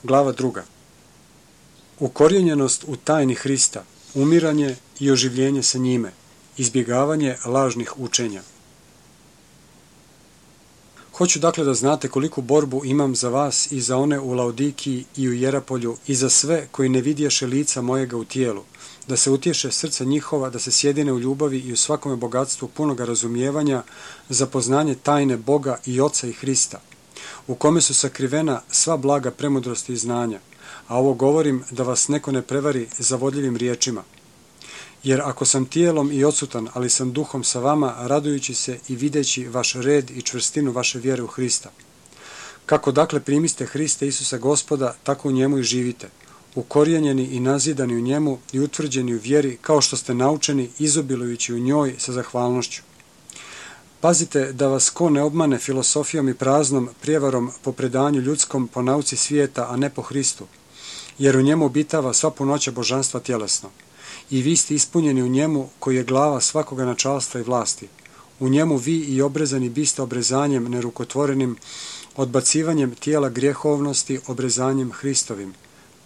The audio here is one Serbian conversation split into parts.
Glava 2. Ukorijenjenost u tajni Hrista, umiranje i oživljenje sa njime, izbjegavanje lažnih učenja. Hoću dakle da znate koliku borbu imam za vas i za one u Laodikiji i u Jerapolju i za sve koji ne vidješe lica mojega u tijelu, da se utješe srca njihova, da se sjedine u ljubavi i u svakome bogatstvu punoga razumijevanja za poznanje tajne Boga i Oca i Hrista, u kome su sakrivena sva blaga premudrosti i znanja, a ovo govorim da vas neko ne prevari zavodljivim riječima. Jer ako sam tijelom i odsutan, ali sam duhom sa vama, radujući se i videći vaš red i čvrstinu vaše vjere u Hrista. Kako dakle primiste Hrista Isusa Gospoda, tako u njemu i živite, ukorijenjeni i nazidani u njemu i utvrđeni u vjeri, kao što ste naučeni, izobilujući u njoj sa zahvalnošću. Pazite da vas ko ne obmane filosofijom i praznom prijevarom po predanju ljudskom, po nauci svijeta, a ne po Hristu, jer u njemu obitava sva punoća božanstva tjelesno. I vi ste ispunjeni u njemu, koji je glava svakoga načalstva i vlasti. U njemu vi i obrezani biste obrezanjem nerukotvorenim, odbacivanjem tijela grijehovnosti obrezanjem Hristovim.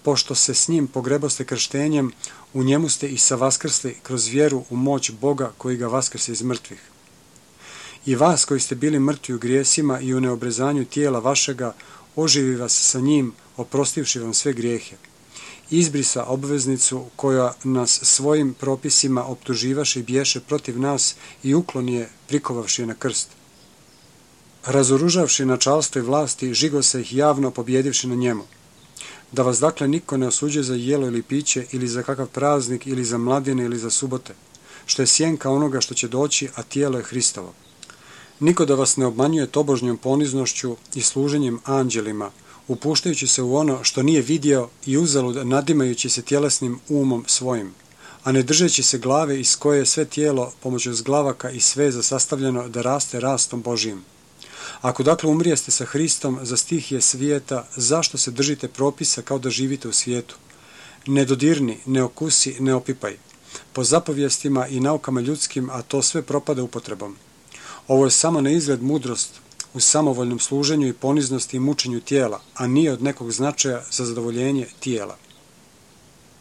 Pošto se s njim pogreboste krštenjem, u njemu ste i savaskrsli kroz vjeru u moć Boga koji ga vaskrse iz mrtvih. I vas koji ste bili mrtvi u grijesima i u neobrezanju tijela vašega, oživi vas sa njim, oprostivši vam sve grijehe. Izbrisa obveznicu koja nas svojim propisima optuživaše i biješe protiv nas i ukloni je, prikovavši je na krst. Razoružavši načalstvo i vlasti, žigo se ih javno pobjedivši na njemu. Da vas dakle niko ne osuđuje za jelo ili piće, ili za kakav praznik, ili za mladine, ili za subote, što je sjenka onoga što će doći, a tijelo je Hristovo. Niko da vas ne obmanjuje tobožnjom poniznošću i služenjem anđelima, upuštajući se u ono što nije vidio i uzalud nadimajući se tjelesnim umom svojim, a ne držeći se glave iz koje je sve tijelo pomoću zglavaka i sveza sastavljeno da raste rastom Božijim. Ako dakle umrijeste sa Hristom za stihije svijeta, zašto se držite propisa kao da živite u svijetu? Ne dodirni, ne okusi, ne opipaj. Po zapovjestima i naukama ljudskim, a to sve propada upotrebom. Ovo je samo na izgled mudrost u samovoljnom služenju i poniznosti i mučenju tijela, a nije od nekog značaja za zadovoljenje tijela.